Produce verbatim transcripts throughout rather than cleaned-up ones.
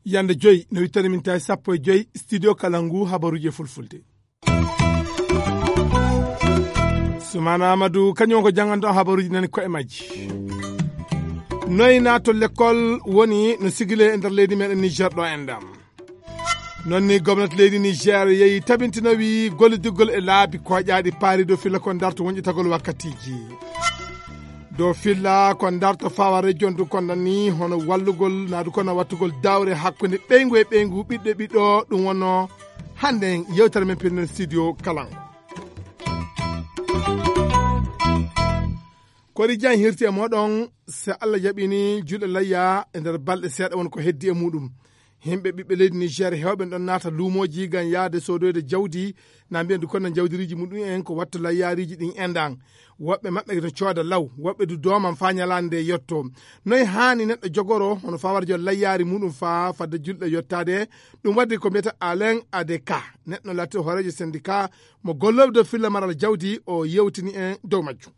Yande joyi no wittani min tawi sappo e joyi studio Kalangu habaruji e fulfulde. Sumana Amadou kañum ko jannganto habaruji nani ko e majji. Noy nato lekkol woni no sigile e nder leydi meɗen Niger ɗo en ɗam. Non ni gomnati leydi Niger yehi tabintinowi gollidirgol e laabi koƴaaɗi paari dow filla kon darto wonƴitagol wakkatiji. Dow filla kon darto fawa region du kon nan ni hono wallugol na du kono wattugol dawre hakkunde ɓeyngu e ɓeyngu ɓiɗɗo e ɓiɗɗo ɗum wonno hannde yewtere men pellel studio Kalangu. Kori jan hirti e moɗon se Allah jaɓini julɗe layya e nder balɗe seeɗa won ko heddi e muɗum. Himɓe ɓiɓɓe leydi Niger hewɓe ɗon naata luumoji ngam yaade sodoyde jawdi na mbiya du kono jawdiriji muɗum en ko watta layyariji ɗin endan. Woɓɓe maɓɓe no cooda law, woɓɓe du dooman fa ñalaande nde yetto. Noy haani neɗɗo jogoro hono fawarjo layyari muɗum fa fadde julɗe yottaade? Ɗum waddi ko mbiyata Alain Adeka, neɗɗo laati hoorejo syndicat mo gollooɓe dow filla maral jawdi, o yewtini en dow majjum.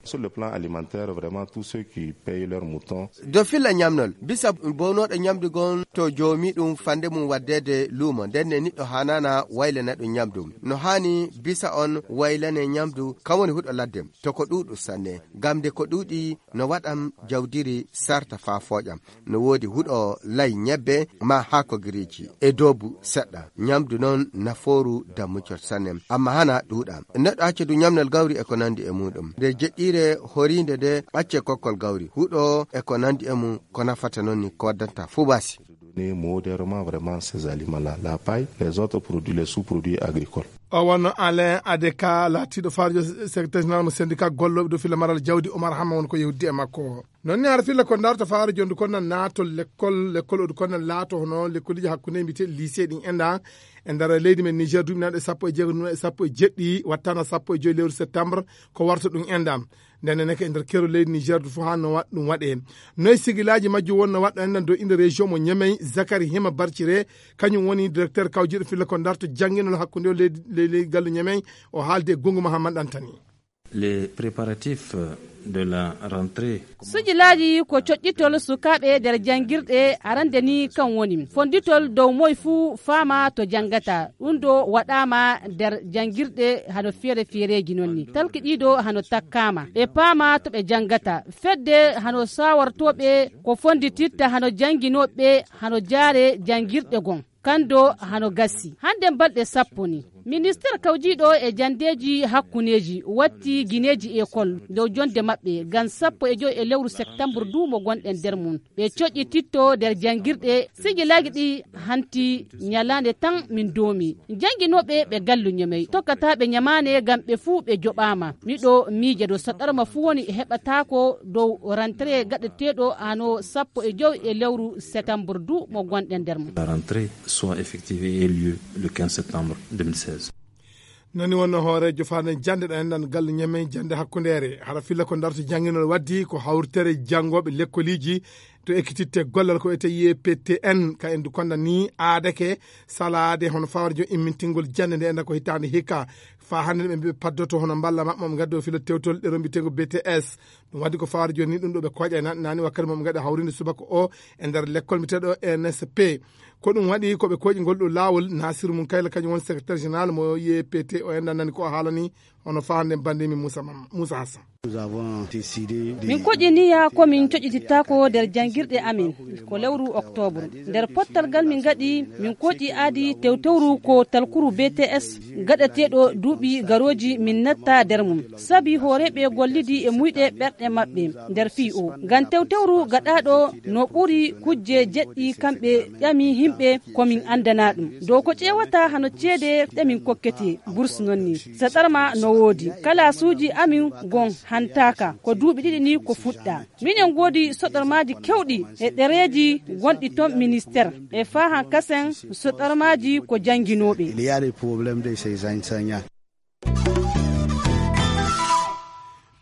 Sur le plan alimentaire, vraiment, tous ceux qui payent leur mouton. Dow filla ñamnol bisa bownooɗo ñamdu gon to joomi ɗum fande mum waddeede luumo, nden ne niɗɗo haanaana waylana ɗum ñamdu. No haani bisa on waylane ñamdu kam woni huɗo ladde to ko ɗuuɗu sanne, ngam nde ko ɗuuɗi no waɗam jawdiri sarta faa fooƴam. No woodi huɗo lay ñebbe ma haako giriiji e doobu seɗɗa. Ñamdu noon nafooru dammucot sanne, amma hana ɗuuɗa. Neɗɗo acca du ñamnal gawri e ko nanndi e muuɗum. Nde jeɗɗiire horiinde nde acce kokkol gawri, huɗo e ko nanndi e mum, ko nafata noon ni ko waddanta fuu baasi. Donner modérément vraiment ces aliments-là, la paille, les autres produits, les sous-produits agricoles. O wonno Alain Adeka, laatiiɗo faarjo secrétaire général mo syndicat gollooɓe dow filla maral jawdi Omar Hamma won ko yewdi e makko. Noon ni hara filla ko darta faare jondu kon nan naatol lekkol, lekkol odu kon nan laato hono lekkoliji hakkunde mbite lycée ɗin enɗan e nder leydi men Niger duuɓi nanɗe sappo e jeego, e sappo e jeɗɗi, wattana sappo e joyi lewru septembre ko warta ɗum enɗan. Nden ne ko e nder kero leydi Niger du fof haa no wa-, ɗum waɗe. Noy sigilaji majju wonno waɗɗo enɗan dow inde région mo Niamey, Zakari Hima Barcire, kañum woni directeur kawjiɗo filla ko darta jannginol hakkunde o leydi, ley, ley gallu Niamey, o haalde e Gungu Mahamman Ɗantani. Les préparatifs de la rentrée. Sujilaaji ko coƴƴitol sukaaɓe nder janngirɗe arande ni kan woni fonditol dow moy fuu faama to janngata. Ɗum ɗo waɗaama nder janngirɗe hano feere feereeji noon ni. Talkiɗiiɗo hano takkaama. Ɓe paama to ɓe janngata. Fedde hano sawartooɓe ko fondititta hano jannginooɓe hano jaare janngirɗe gon. Kando hano gassi. Hande balɗe sappo ni. Ministeer kawjiiɗo e jandeeji hakkuneeji watti gineeji ekol dow jonde maɓɓe ngam sappo e joy e lewru septembre du mo gonɗen nder mum. Ɓe coƴƴititto nder janngirɗe sigilaagi ɗi hanti ñalaande tan min doomi. Jannginooɓe ɓe gallu Ñamey tokkataaɓe ñamaane ngam ɓe fuu ɓe joɓaama. Miɗo miija ɗo saɗarma fuu woni heɓataako dow rentrée gaɗeteeɗo hano sappo e joy e lewru septembre du mo gonɗen nder mum. La rentrée soit effective et ait lieu le quinze septembre deux mille seize. Nani wonno hooreejo faande jannde ɗo enɗan galle Ñamey jannde hakkundeere. Hara filla ko darto jannginol waddi ko hawritere janngooɓe lekkoliji to ekkititte gollal ko wiyete Y P T N ka en du konda ni aadake salaade hono fawarjo immintingol jannde nde enɗan ko hitaande hikka. Fa hannde ɓe mbiɓe paddoto hono mballa maɓɓe mo ngaddo filo tewtol ɗe rombitengo B T S. Ɗum waddi ko fawarjo ni ɗum ɗo ɓe koƴa na-, nani wakkati mo ɓe ngaɗa hawrinde subaka o e nder lekkol mbiyeteɗo N S P. Ko ɗum waɗi ko ɓe koƴi ngol ɗo laawol. Nasiru Mum Kayla kañum won secrétaire général mo Y P T o enɗan nani ko o haalani. Hono faande bannde min Moussa Mam-, Moussa Hassan. Nous avons décidé de... Min koƴiniya ko min coƴƴitittaako nder janngirɗe amin ko lewru octobre. Nder pottal ngal min ngaɗi, min koƴi aadi tewtewru ko talkuru B T S gaɗeteeɗo duuɓi garooji min natta nder mum. Sabi hooreeɓe gollidi e muyɗe ɓerɗe maɓɓe nder fii o. Ngam tewtewru gaɗaaɗo no ɓuri kujje jeɗɗi kamɓe ƴami yimɓe ko min anndanaa ɗum. Dow ko ƴeewata hano ceede ɗe min kokkete, bourse non ni. Saɗarma no woodi. Kalaasuuji amin gon hantaaka. Ko duuɓi ɗiɗi ni ko fuɗɗa. Minen ngoodi soɗormaaji kewɗi e ɗereeji gonɗi ton ministère. E faahan kasen soɗormaaji ko jannginooɓe. Il y a des problèmes de ces enseignants.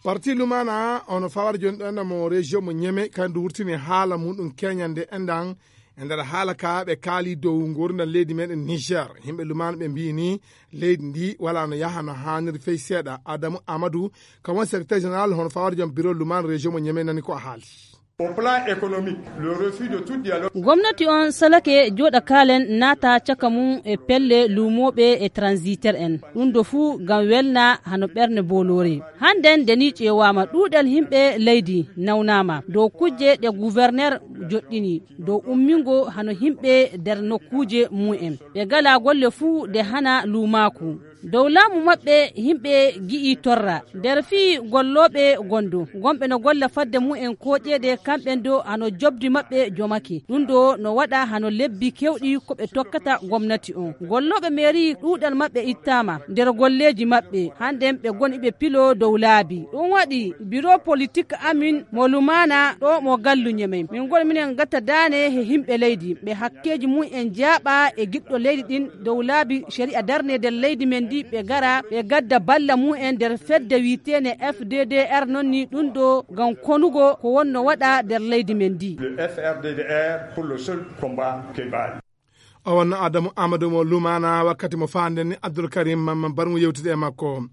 Parti Lumana, ono fawara jooni ɗo enɗan mo région mo Niamey, kandu wurtini haala muɗum keñande enɗan E nder haala ka, ɓe kaali dow nguurndam leydi meɗen Niger. Yimɓe lumaano ɓe mbiyi ni, leydi ndi wala no yaha no haaniri fey seeɗa. Adamu Amadou, ka won secrétaire général hono fawre joom bureau lumaano région mo Niamey nani ko a haali. Au plan économique, le refus de tout dialogue. Gomnati on salake jooɗa kaalen naata caka mum e pelle luumooɓe e transitaire en. Ɗum do fuu ngam welna hano ɓerne booloore. Hannden de ni ƴeewaama ɗuuɗal yimɓe leydi nawnaama dow kujje ɗe gouverneur joɗɗini dow ummingo hano yimɓe nder nokkuuje mum en. Ɓe ngalaa golle fuu de hana luumaaku. Dow laamu maɓɓe, yimɓe gi'i torra. Nder fii gollooɓe gondo, gomɓe no golla fadde mumen kooƴeede, kamɓen do hano jobdi maɓɓe jomake. Ɗum do no waɗa hano lebbi kewɗi ko ɓe tokkata gomnati on. Gollooɓe meeri ɗuuɗal maɓɓe ittaama nder golleeji maɓɓe. Hannden ɓe goni ɓe pilo dow laabi. Ɗum waɗi biro politik amin mo lumaana ɗo mo gallu Ñemey. Min goni minen gatta daane he yimɓe leydi. Ɓe hakkeeji mumen jaaɓa e giɗɗo leydi ɗin dow laabi shari'a darne nder leydi men ndi, ɓe gara, ɓe gadda balla mumen nder fedde wi'eteene F D D R, non ni ɗum ɗo ngam konugo ko wonno waɗa nder leydi men ndi. Le F R D D R pour le seul combat que bat. O wonno Adamu Amadou mo Lumana wakkati mo faanden ni Abdoul Karim Mamman Barmu yewtude e makko.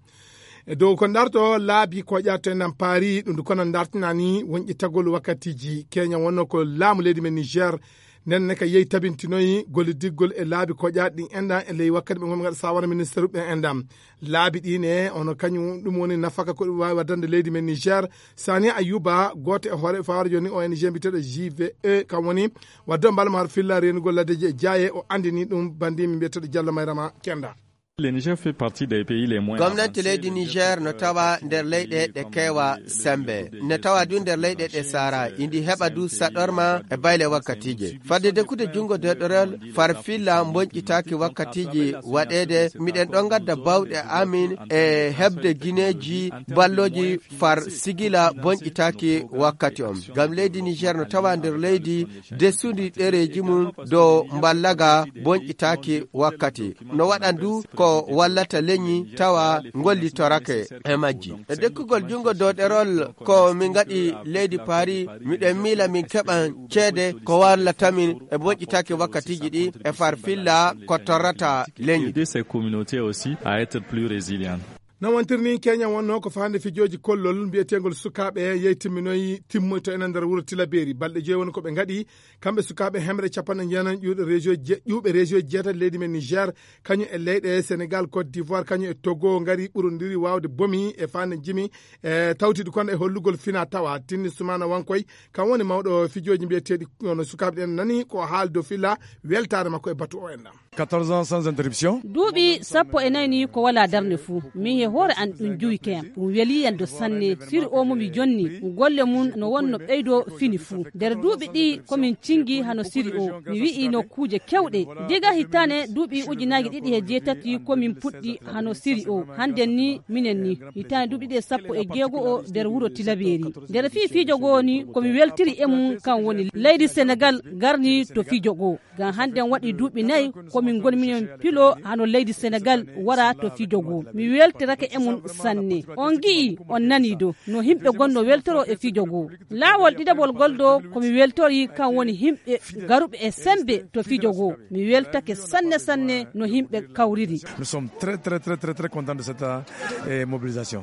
E dow ko ndarto laabi ko ƴatten nan paari ɗum ko non ndartinani wonƴi tagol wakkatiji. Kenya wonno ko laamu leydi men Niger. Nden ne ka yehi tabintinoyi gollidiggol e laabi ko ƴaat ɗin enɗan e ley wakkati ɓe ngonɓe ngaɗa sawara ministre ɓen enɗan. Laabi ɗi ne, ono kañum ɗum woni nafaka ko ɗum waawi waddande leydi men Niger. Sani Ayuba, gooto e hoore fawaare jooni O N G mbiyeteeɗo J V E, kam woni wadde mbal mo har filla reenugol laddeji e jaaye, o andini ɗum bandimi mbiyeteeɗo Diallo Mayrama Kenda. Le Niger fait partie des pays les moins Gomnati leydi Niger no tawa nder leyɗe ɗe keewa sembe. Ne tawa du nder leyɗe ɗe Sahara. Indi heɓa du saɗorma e bayle wakkatije. Fadde dekkude jungo deɗorel far filla bonƴitaaki wakkatiji waɗeede. Miɗen ɗon gadda bawɗe amin e heɓde gineeji balloji far sigila bonƴitaaki wakkati on. Ngam leydi Niger no tawa nder leydi desudi ɗereji mum dow mballaga bonƴitaaki wakkati. No waɗan du ko wallata leñi tawa ngollitorake e majji. E dekkugol jungo dow ɗerol ko min ngaɗi leydi Paris, miɗen miila min keɓan ceede ko wallata min e bonƴitaaki wakkatiji ɗi e far filla ko torrata leñi. Aider ces communautés aussi à être plus résilientes. No wontiri ni Kenya wonno ko faande fijooji kollol mbiyeteengol sukaaɓe yehi timminoyi timmoyto enen nder wuro Tilaberi. Balɗe joyi woni ko ɓe ngaɗi, kamɓe sukaaɓe hemre capanɗe jeenayi ƴuuɓe région je-, ƴuuɓe région jeetati leydi men Niger, kañum e leyɗe Sénégal, Côte d'Ivoire, kañum e Togo, ngari ɓurondiri waawde bomi e faande jimi, e tawtiɗi kono e hollugol fina tawa. Tinni Sumana Wankoy, kam woni mawɗo fijooji mbiyeteeɗi, kono sukaaɓe ɗen nani ko haali dow filla weltaare makko e batu o enɗan. Quatorze ans sans interruption. Duuɓi sappo e nayi ni ko walaa darnde fuu. Min he hoore an ɗum juwi kayam. Ɗum welii yam do sanne. Siri o mo mi jonni, golle mum no wonno ɓeydo fini fuu. Nder duuɓi ɗi ko min cingi hano siri o. Mi wi'i nokkuuje kewɗe. Diga hitaane duuɓi ujunaaji ɗiɗi he jeetati ko min puɗɗi hano siri o. Hannden ni minen ni. Hitaane duuɓi ɗiɗi e sappo e jeego o nder wuro Tilaberi. Nder fii fijo goo ni ko mi weltiri e mum kan woni leydi Senegal garni to fijo goo. Ngam hannden waɗi duuɓi nayi ko min ngoni minen pilo hano leydi Senegal wara to fijo goo. Mi weltirake e mum sanne. On ngi'i, on nanii do no yimɓe gonno weltoro e fijo goo. Laawol ɗiɗaɓol gol do ko mi weltori kan woni yimɓe garuɓe e sembe to fijo goo. Mi weltake sanne sanne no yimɓe kawriri. Nous sommes très, très, très, très, très contents de cette, euh, mobilisation.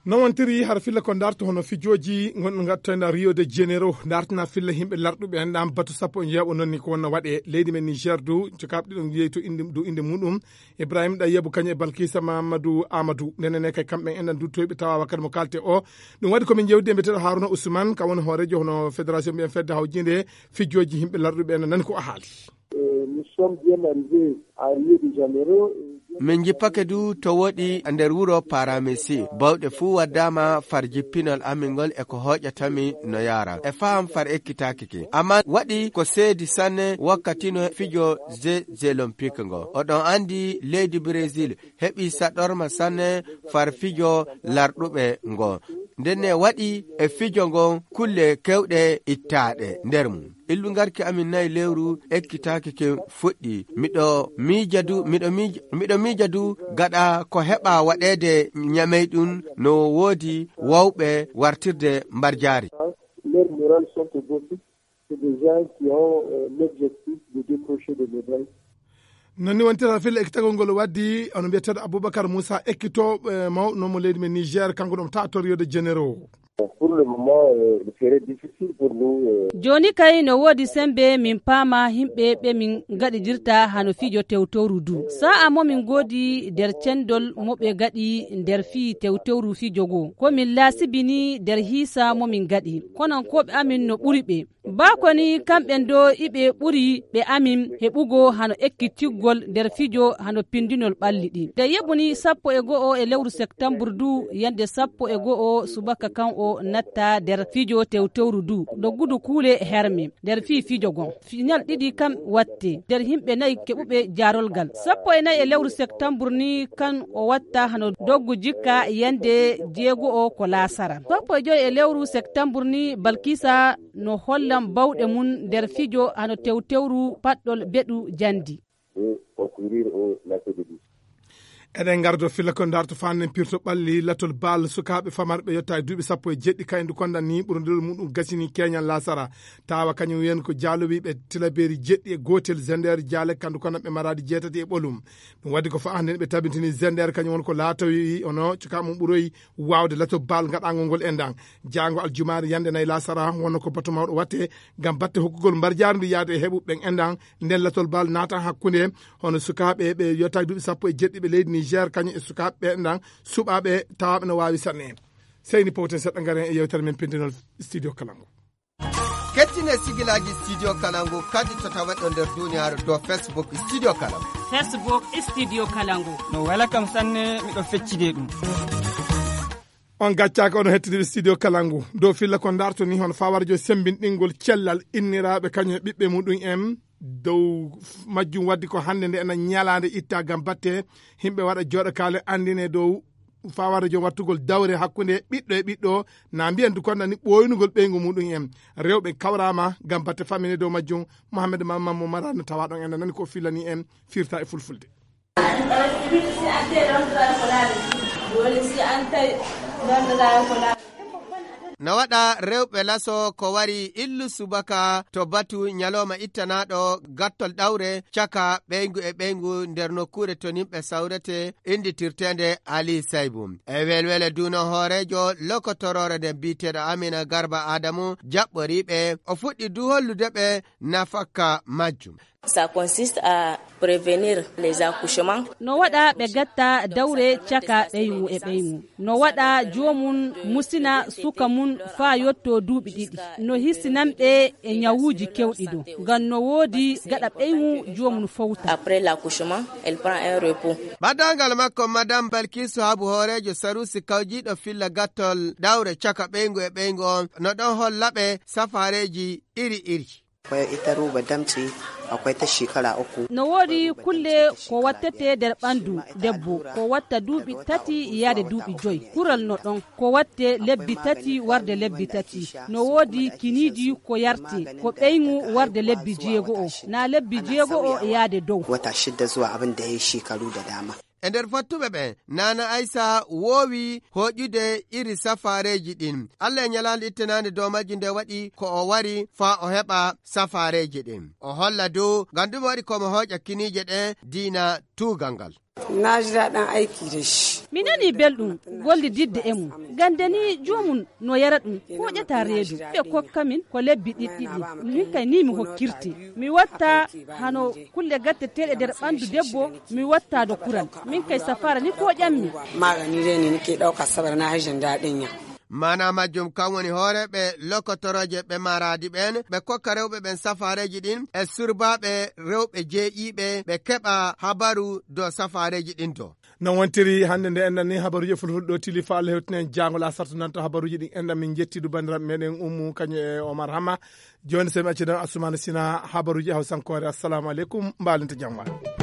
No wontiri har filla ko ndarto hono fijooji ngonɗo ngattoyna Rio de Janeiro, ndartina filla yimɓe larɗuɓe en ɗam batu sappo e jeeɓo non ni ko wonno waɗe leydi men Niger du, cokaaɓe ɗiɗon yehi to inde, du inde muɗum, Ibrahim Ɗayyabu kañum e Balkisa Mamadou Amadou. Ndenene kay kamɓe en ɗan duttoyɓe tawa wakkati mo kalte o. Ɗum waɗi ko min jewdi e mbiyeteeɗo Haruna Ousmane, ka woni hoorejo hono fédération mbiyen fedde hawjinde fijooji yimɓe larɗuɓe en nani ko a haali. Euh, nous sommes bien arrivés à Rio de Janeiro. Min jippake du to woɗi nder wuro Paramesi. Bawɗe fuu waddaama far jippinol amin ngol e ko hooƴatami no yaara. E faham far ekkitaaki ki. Amma waɗi ko seedi sanne wakkati no fijo Jeux Olympiques ngo. Oɗon andi leydi Brésil heɓi saɗorma sanne far fijo larɗuɓe ngo. Ndenne waɗi e fijo ngon kulle kewɗe ittaaɗe nder mum. Illu ngarki amin nayi lewru ekkitaaki kin fuɗɗi. Miɗo miija du, miɗo miija, miɗo miija du gaɗa ko heɓa waɗeede Ñamey ɗum no woodi wawɓe wartirde mbarjaari. Leurs morales sont au beau fixe. C'est des gens qui ont euh, l'objectif de décrocher des médailles. Non ni wontirata filla ekkitagol ngol waddi ono mbiyeteeɗo Aboubacar Moussa, ekkitooɓe mawɗo mo leydi men Niger, kanko ɗum tato Rio de Janeiro. Pour le moment, euh, il serait difficile pour nous. Euh. Jooni kay no woodi semmbe min paama yimɓe ɓe min ngaɗidirta hano fijo tewtowru du. Sa'a mo min ngoodi nder cenndol mo ɓe ngaɗi nder fii tewtewru fijo goo. Ko min laasibini nder hiisa mo min ngaɗi. Kono ko ɓe amin no ɓuri ɓe. Baa ko ni kamɓe ndoo iɓe ɓuri ɓe amin heɓugo hano ekkitirgol nder fijo hano pindinol ɓalli ɗi. Nde yeɓu ni sappo e go'o e lewru septambur du, yande sappo e go'o subaka kan o natta nder fijo tewtewru du. Ɗo gudu kuule herme nder fii fijo gon. Final ɗiɗi kam watte nder yimɓe nayi keɓuɓe jaarolgal. Sappo e nayi e lewru septambur ni kan o watta hano doggu jikka yande jeego'o ko laasara. Sappo e joyi e lewru septambur ni Balkisa no hollan bawɗe mum nder fijo hano tewtewru paɗɗol beɗu jandi. Et concourir au lancer de disque. Eɗen ngardo filla ko ndarto fannen pirto ɓalli latol bal sukaaɓe famarɓe yotta e duuɓi sappo e jeɗɗi kaydu kondan ni ɓurodiral muɗum gasini keñal lasara. Tawa kañum wiyen ko jaalowiiɓe tilaberi jeɗɗi e gootel zender jaale kandu konan ɓe maraadi jeetati e ɓolum. Ɗum waddi ko fa hannde ɓe tabintini zender kañum won ko laatowi ono cuka mum ɓuroyi waawde lato bal gaɗangol ngol enɗan. Jaango aljumaare yande nayi lasara wonno ko bato mawɗo watte ngam batte hokkugol mbarjaari ndu yaade e heɓuɓe ɓen enɗan. Nden latol bal naata hakkunde hono sukaaɓe ɓe yottaaki duuɓi sappo e jeɗɗi ɓe leydi Niger kañum e sukaaɓe ɓe enɗan suɓaaɓe tawaaɓe no waawi sanne. Seyni powten seɗɗa ngaren e yewtere men pindinol studio kalango. Kettine sigilaaji studio kalango kadi to tawaɗo nder duniyaaru dow Facebook studio kalango. Facebook studio kalango. No wela kam sanne miɗo feccide ɗum. On gaccaaka ono hettiniɓe studio kalangu dow filla ko darto ni hono fawara jo sembinɗingol cellal inniraaɓe kañum e ɓiɓɓe muɗum en dow majjum waddi ko hannde nde ena ñalaande itta gam batte yimɓe waɗa jooɗo kaale anndine dow fawara jo wattugol dawre hakkunde ɓiɗɗo e ɓiɗɗo na mbiyan du konna ni ɓooynugol ɓeyngu muɗum en rewɓe kawrama gam batte famine dow majjum. Mohammed mamman mo marano tawa ɗon ena nani ko filani en firta e fulfulde. No waɗa rewɓe laso ko wari illu subaka to batu ñalawma ittanaɗo gattol ɗawre caka ɓeyngu e ɓeyngu nder nokkuure to nimɓe sawrete innditirteende Ali Saybu. E welwele duuno hooreejo lokotoroore nden biyeteeɗo Amina Garba Adamu jaɓɓoriiɓe o fuɗɗi du hollude ɓe nafakka majjum. Ça consiste à prévenir les accouchements. No waɗa ɓe gatta dawre caka ɓeymu e ɓeymu. No waɗa joomum musina suka mum faa yotto duuɓi ɗiɗi. No hisinan ɓe e ñawuuji kewɗi do. Ngam no woodi gaɗa ɓeymu joomum fowta. Après l'accouchement, elle prend un repos. Ɓadaangal makko Madame Balkisu Habu hooreejo Sarusi kawjiiɗo filla gattol dawre caka ɓeyngu e ɓeyngu on no ɗon holla ɓe safaareeji iri iri. Akwai ita ruba damtse, akwai ta shekara uku. No woodi kulle ko wattete nder ɓanndu debbo ko watta duuɓi tati yaade duuɓi joy. Kural no ɗon ko watte lebbi tati warde lebbi tati. No woodi kiniiji ko yarte ko ɓeyŋu warde lebbi jeego'o naa lebbi jeego'o yaade dow. Wata shidda zuwa abin da ya yi shekaru da dama. E nder fattuɓe ɓen, Naana Aysa woowi hooƴude iri safaareeji ɗin. Alla e ñalaande ittanaande dow majji nde waɗi ko o wari faa o heɓa safaareeji ɗin. O holla dow ngam ɗume waɗi ko mo hooƴa kiniije ɗe diina tuugal ngal. Na ji daɗin aiki da shi. Mi nani belɗum gollididde e mum. Gande ni joomum no yara ɗum hooƴata reedu ɓe kokka min ko lebbi ɗiɗɗiɗi. Min kay ni mi hokkirte. Mi watta hano kulle gatteteeɗe nder ɓanndu debbo mi wattaado kural min kay safaara ni kooƴammi. Magani dai ne nake ɗauka saboda na hajjin daɗin ya. Maana majjum kan woni hooreeɓe lokotorooje ɓe maaraadi ɓeen ɓe kokka rewɓe ɓeen safaareeji ɗin e surbaaɓe rewɓe jeeyiiɓe ɓe keɓa habaru dow safaareeji ɗin to. No wontiri hannde nde enɗan ni habaruuji e fulfulde ɗo tili fa Allah hewtinen jaangol asartu nanta habaruuji ɗin enɗan min njettidu banndiraaɓe meɗen ummu kañum e Omar Hama. Jooni so mi accidan Assoumani Sina habaruuji hawsankoore. Assalamu aleykum, mbaalinta jam waɗ.